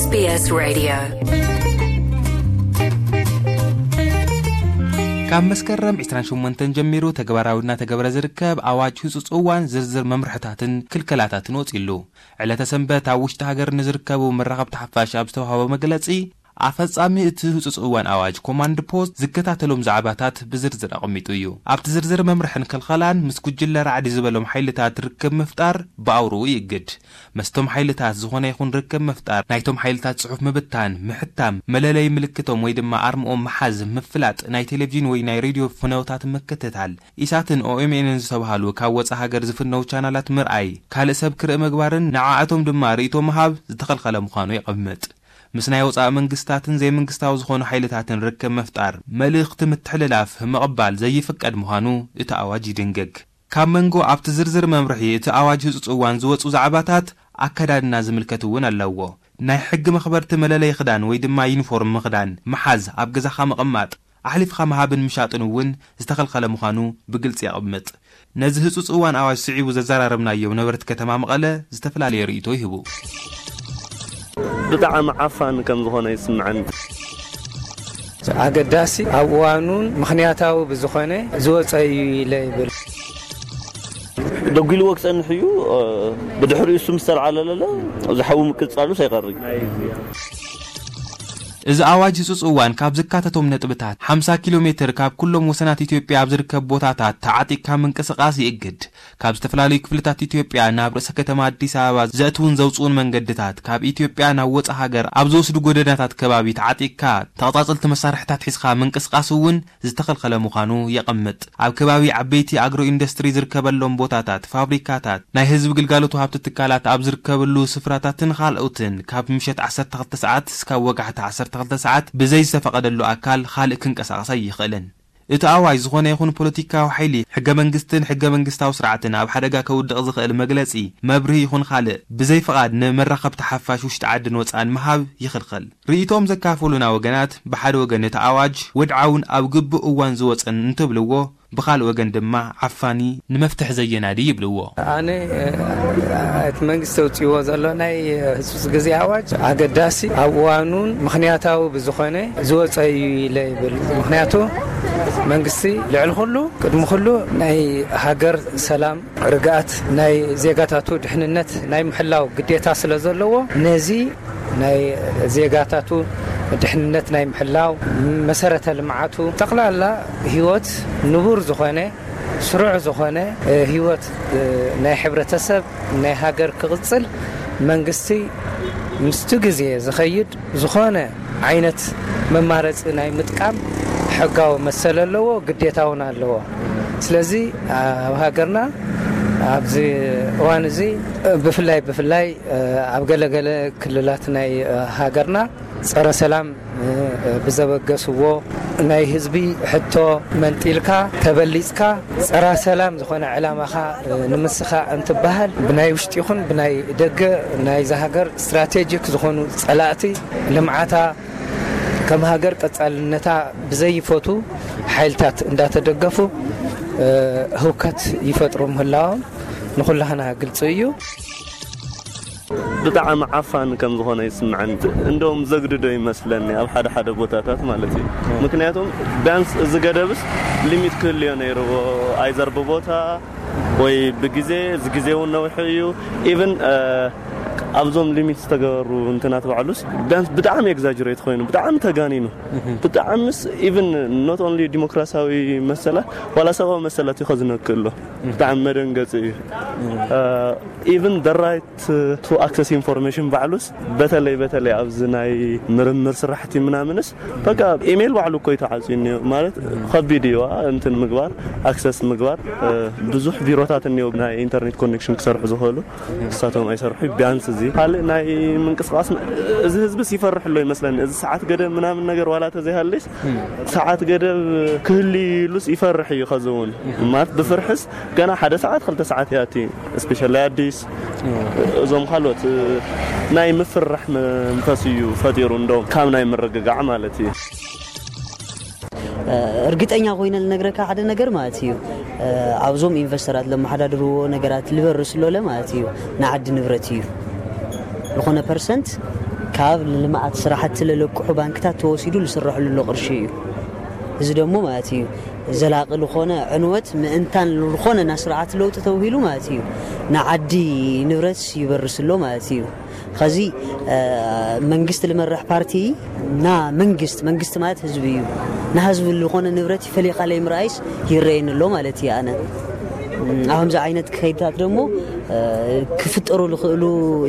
SBS Radio. ካብ መስከረም ዕስራን ሸሞንተን ጀሚሩ ተግባራዊ እናተገብረ ዝርከብ ኣዋጅ ህጹጽ እዋን ዝርዝር መምርሕታትን ክልከላታትን ወጺሉ። ዕለተ ሰንበት ኣብ ውሽጢ ሃገር ንዝርከቡ መራኸብቲ ሓፋሽ ኣብ ዝተዋህበ መግለጺ፣ ኣፈጻሚ እቲ ህጹጽ እዋን ኣዋጅ ኮማንድ ፖስት ዝከታተሎም ዛዕባታት ብዝርዝር ኣቐሚጡ እዩ። ኣብቲ ዝርዝር መምርሕን ክልኸላን ምስ ጉጅለ ራዕዲ ዝበሎም ሓይልታት ርክብ ምፍጣር ብኣውርኡ ይእግድ። መስቶም ሓይልታት ዝኾነ ይኹን ርክብ ምፍጣር፣ ናይቶም ሓይልታት ጽሑፍ ምብታን፣ ምሕታም፣ መለለይ ምልክቶም ወይ ድማ ኣርምኦም ምሓዝ፣ ምፍላጥ፣ ናይ ቴሌቪዥን ወይ ናይ ሬድዮ ፍነውታት ምክትታል፣ ኢሳትን ኦኤምኤንን ዝተባህሉ ካብ ወጻ ሃገር ዝፍነው ቻናላት ምርኣይ፣ ካልእ ሰብ ክርኢ ምግባርን ንዓኣቶም ድማ ርእይቶ ምሃብ ዝተኸልኸለ ምዃኑ የቐምጥ። ምስ ናይ ወጻኢ መንግስታትን ዘይመንግስታዊ ዝኾኑ ሓይልታትን ርክብ ምፍጣር፣ መልእኽቲ ምትሕልላፍ ምቕባል ዘይፍቀድ ምዃኑ እቲ ኣዋጅ ይድንግግ። ካብ መንጎ ኣብቲ ዝርዝር መምርሒ እቲ ኣዋጅ ህጹጽ እዋን ዝወጹ ዛዕባታት ኣከዳድና ዝምልከት እውን ኣለዎ። ናይ ሕጊ መኽበርቲ መለለይ ክዳን ወይ ድማ ዩኒፎርም ምኽዳን፣ ምሓዝ፣ ኣብ ገዛኻ ምቕማጥ፣ ኣሕሊፍኻ ምሃብን ምሻጥን እውን ዝተኸልኸለ ምዃኑ ብግልጺ የቕምጥ። ነዚ ህጹጽ እዋን ኣዋጅ ስዒቡ ዘዘራረብናዮም ነበርቲ ከተማ መቐለ ዝተፈላለየ ርእይቶ ይህቡ። ብጣዕሚ ዓፋን ከም ዝኾነ ይስምዐኒ። ኣገዳሲ ኣብ እዋኑን ምኽንያታዊ ብዝኾነ ዝወፀ እዩ ኢለ ይብል። ደጒልዎ ክጸንሕ እዩ። ብድሕሪኡ እሱ ምስ ተለዓለለለ ዝሓዊ ምቅጻሉስ ኣይቐርይ። እዚ ኣዋጅ ህጹጽ እዋን ካብ ዝካተቶም ነጥብታት፣ ሓምሳ ኪሎ ሜትር ካብ ኩሎም ወሰናት ኢትዮጵያ ኣብ ዝርከብ ቦታታት ተዓጢቕካ ምንቅስቓስ ይእግድ። ካብ ዝተፈላለዩ ክፍልታት ኢትዮጵያ ናብ ርእሰ ከተማ ኣዲስ ኣበባ ዘእትውን ዘውጽኡን መንገድታት፣ ካብ ኢትዮጵያ ናብ ወጻኢ ሃገር ኣብ ዝወስዱ ጎደናታት ከባቢ ተዓጢቕካ ተቐጻጸልቲ መሳርሕታት ሒዝካ ምንቅስቓስ እውን ዝተኸልኸለ ምዃኑ የቐምጥ። ኣብ ከባቢ ዓበይቲ ኣግሮ ኢንዱስትሪ ዝርከበሎም ቦታታት፣ ፋብሪካታት፣ ናይ ህዝቢ ግልጋሎት ወሃብቲ ትካላት ኣብ ዝርከብሉ ስፍራታትን ካልኦትን ካብ ምሸት ዓሰርተ ክልተ ሰዓት እስካብ ወጋሕታ ዓሰርተ ክልተ ሰዓት ብዘይ ዝተፈቐደሉ ኣካል ካልእ ክንቀሳቐስ ኣይኽእልን። እቲ ኣዋጅ ዝኾነ ይኹን ፖለቲካዊ ሓይሊ፣ ሕገ መንግስትን ሕገ መንግስታዊ ስርዓትን ኣብ ሓደጋ ከውድቕ ዝኽእል መግለጺ፣ መብርሂ ይኹን ካልእ ብዘይ ፍቓድ ንመራኸብቲ ሓፋሽ ውሽጢ ዓድን ወጻእን ምሃብ ይኽልኸል። ርእይቶም ዘካፈሉና ወገናት፣ ብሓደ ወገን እቲ ኣዋጅ ወድዓውን ኣብ ግቡእ እዋን ዝወጸን እንትብልዎ፣ ብኻልእ ወገን ድማ ዓፋኒ፣ ንመፍትሒ ዘየናዲ ይብልዎ። ኣነ እቲ መንግስቲ ኣውፅዎ ዘሎ ናይ ህፁፅ ግዜ ኣዋጅ ኣገዳሲ፣ ኣብ እዋኑን ምኽንያታዊ ብዝኾነ ዝወፀ እዩ ኢለ ይብል። ምኽንያቱ መንግስቲ ልዕሊ ኩሉ ቅድሚ ኩሉ ናይ ሃገር ሰላም፣ ርግኣት፣ ናይ ዜጋታቱ ድሕንነት ናይ ምሕላው ግዴታ ስለ ዘለዎ፣ ነዚ ናይ ዜጋታቱ ድሕንነት ናይ ምሕላው፣ መሰረተ ልምዓቱ፣ ጠቕላላ ህይወት ንቡር ዝኾነ፣ ስሩዕ ዝኾነ ህይወት ናይ ሕብረተሰብ፣ ናይ ሃገር ክቕፅል መንግስቲ ምስቲ ግዜ ዝኸይድ ዝኾነ ዓይነት መማረፂ ናይ ምጥቃም ሕጋዊ መሰል ኣለዎ፣ ግዴታ እውን ኣለዎ። ስለዚ ኣብ ሃገርና ኣብዚ እዋን እዚ ብፍላይ ብፍላይ ኣብ ገለገለ ክልላት ናይ ሃገርና ፀረ ሰላም ብዘበገስዎ ናይ ህዝቢ ሕቶ መንጢልካ ተበሊፅካ ፀረ ሰላም ዝኾነ ዕላማኻ ንምስኻ እንትበሃል ብናይ ውሽጢ ይኹን ብናይ ደገ ናይዛ ሃገር ስትራቴጂክ ዝኾኑ ፀላእቲ ልምዓታ ከም ሃገር ቀፃልነታ ብዘይፈቱ ሓይልታት እንዳተደገፉ ህውከት ይፈጥሩ ምህላዎም ንኹላህና ግልፂ እዩ። ብጣዕሚ ዓፋን ከም ዝኾነ ይስምዐኒ። እንደውም ዘግድዶ ይመስለኒ ኣብ ሓደ ሓደ ቦታታት ማለት እዩ። ምክንያቱም ቢያንስ እዚ ገደብስ ሊሚት ክህልዮ ነይርዎ። ኣይዘር ብቦታ ወይ ብግዜ፣ እዚ ግዜ እውን ነዊሑ እዩ። ኢቭን ኣብዞም ሊሚት ዝተገበሩ እንትናት ባዕሉስ ቢያንስ ብጣዕሚ ኤግዛጅሬት ኮይኑ፣ ብጣዕሚ ተጋኒኑ፣ ብጣዕምስ ኢቭን ኖት ኦንሊ ዲሞክራሲያዊ መሰላት ዋላ ሰብኣዊ መሰላት እዩ ከዝነክእ ኣሎ። ብጣዕሚ መደንገፂ እዩ። ኢቭን the right to access information ባዕሉስ በተለይ በተለይ ኣብዚ ናይ ምርምር ስራሕቲ ምናምንስ በቃ ኢሜይል ባዕሉ እኮ እዩ ተዓፅዩ እኒኦ። ማለት ከቢድ እዩ ዋ፣ እንትን ምግባር፣ ኣክሰስ ምግባር። ብዙሕ ቢሮታት እኒኦ ናይ ኢንተርኔት ኮኔክሽን ክሰርሑ ዝኽእሉ፣ ንሳቶም ኣይሰርሑ። ቢያንስ እዚ ካልእ ናይ ምንቅስቃስ እዚ ህዝብስ ይፈርሕ ኣሎ ይመስለኒ። እዚ ሰዓት ገደብ ምናምን ነገር ዋላ ተዘይሃልስ ሰዓት ገደብ ክህልዩሉስ ይፈርሕ እዩ። ከዚ እውን ማለት ብፍርሕስ ገና ሓደ ሰዓት ክልተ ሰዓት ያቲ ስፔሻሊ ኣዲስ እዞም ካልኦት ናይ ምፍራሕ መንፈስ እዩ ፈጢሩ። እንደውም ካብ ናይ ምርግጋዕ ማለት እዩ። እርግጠኛ ኮይነ ልነግረካ ሓደ ነገር ማለት እዩ፣ ኣብዞም ኢንቨስተራት ለመሓዳድርዎ ነገራት ልበርስ ሎለ ማለት እዩ፣ ንዓዲ ንብረት እዩ። ዝኾነ ፐርሰንት ካብ ልምዓት ስራሕቲ ለለቅሑ ባንክታት ተወሲዱ ዝስረሐሉ ዘሎ ቅርሺ እዩ። እዚ ደሞ ማለት እዩ ዘላቂ ዝኾነ ዕንወት ምእንታን ዝኾነ ና ስርዓት ለውጢ ተውሂሉ ማለት እዩ ንዓዲ ንብረት ይበርስ ኣሎ ማለት እዩ። ኸዚ መንግስት ልመርሕ ፓርቲ ና መንግስት መንግስት ማለት ህዝቢ እዩ። ንህዝቢ ዝኾነ ንብረት ይፈሊኻ ለይ ምርኣይስ ይረየኒ ኣሎ ማለት እዩ። ኣነ ኣብምዚ ዓይነት ከይድታት ደሞ ክፍጠሩ ዝኽእሉ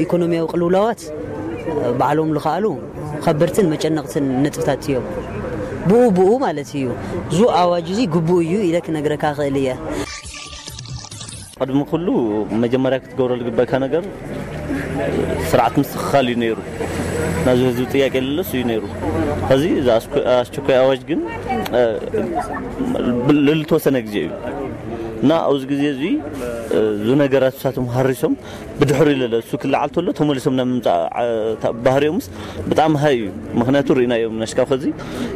ኢኮኖሚያዊ ቅልውላዋት ባዕሎም ዝኸኣሉ ከበድትን መጨነቕትን ነጥብታት እዮም። ብኡ ብኡ ማለት እዩ። ዙ ኣዋጅ እዚ ግቡእ እዩ ኢለ ክነግረካ ክእል እየ። ቅድሚ ኩሉ መጀመርያ ክትገብሮ ዝግበካ ነገር ስርዓት ምስትኽኻል እዩ ነይሩ። ናዚ ህዝቢ ጥያቄ ለለሱ እዩ ነይሩ። ከዚ ኣስቸኳይ ኣዋጅ ግን ልልተወሰነ ግዜ እዩ እና ኣብዚ ግዜ እዚ ዙ ነገራት ሳቶም ሃሪሶም ብድሕሪ ለለ እሱ ክለዓል ተሎ ተመሊሶም ናብ ምምፃእ ባህሪዮምስ ብጣዕሚ ሃይ እዩ። ምክንያቱ ርኢናዮም ነሽካብ ከዚ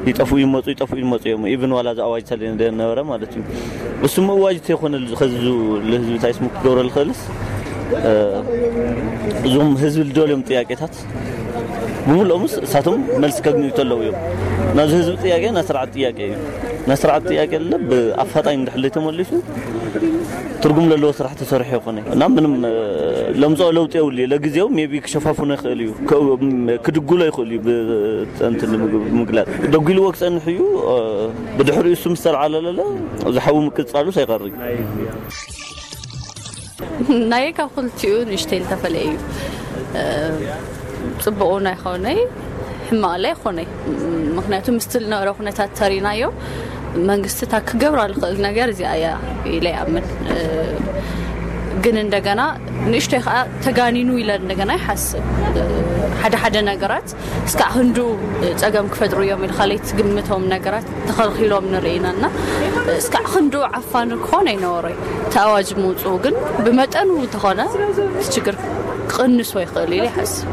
ይጠፍኡ ይመፁ ይጠፍኡ ይመፁ እዮም። ኢቭን ዋላ እዚ ኣዋጅ ተለ ነበረ ማለት እዩ። እሱ ምእዋጅ ተይኮነ ከዚ ለህዝቢ እንታይ ስሙ ክገብረ ዝኽእልስ እዞም ህዝቢ ልደልዮም ጥያቄታት ብምልኦምስ እሳቶም መልሲ ከግንዩ ተለዉ እዮም። ናዚ ህዝቢ ጥያቄ ናይ ስርዓት ጥያቄ እዩ። ናይ ስርዓት ጥያቄ ለ ብኣፋጣኝ እንድሕር ተመሊሱ ትርጉም ለለዎ ስራሕ ተሰርሑ ይኮነ እና ምንም ለምፅኦ ለውጢ የብሉ። ለግዜው ሜቢ ክሸፋፍኖ ይኽእል እዩ ክድጉሎ ይኽእል እዩ። ብፀንቲ ምግላፅ ደጉልዎ ክፀንሕ እዩ። ብድሕሪኡ እሱ ምስ ተለዓለለለ ዝሓዊ ምቅፃሉ ሳይቀር እዩ። ናየ ካብ ክልቲኡ ንእሽተይ ዝተፈለየ እዩ። ፅቡቑ ናይ ኾነይ ሕማቕ ላይ ኾነይ ምክንያቱ ምስቲ ዝነበረ ኩነታት ተሪናዮ መንግስቲ እታ ክገብራ ዝኽእል ነገር እዚኣ እያ ኢለ ይኣምን። ግን እንደገና ንእሽተይ ከዓ ተጋኒኑ ኢለ እንደገና ይሓስብ። ሓደ ሓደ ነገራት እስካዕ ክንዱ ፀገም ክፈጥሩ እዮም ኢልካ ለይትግምቶም ነገራት ተኸልኪሎም ንርኢ ኢና እና እስካዕ ክንዱ ዓፋኒ ክኾን ኣይነበሮይ። እቲ ኣዋጅ ምውፅኡ ግን ብመጠኑ እንተኾነ እቲ ችግር ክቕንሶ ይኽእል ኢለ ይሓስብ።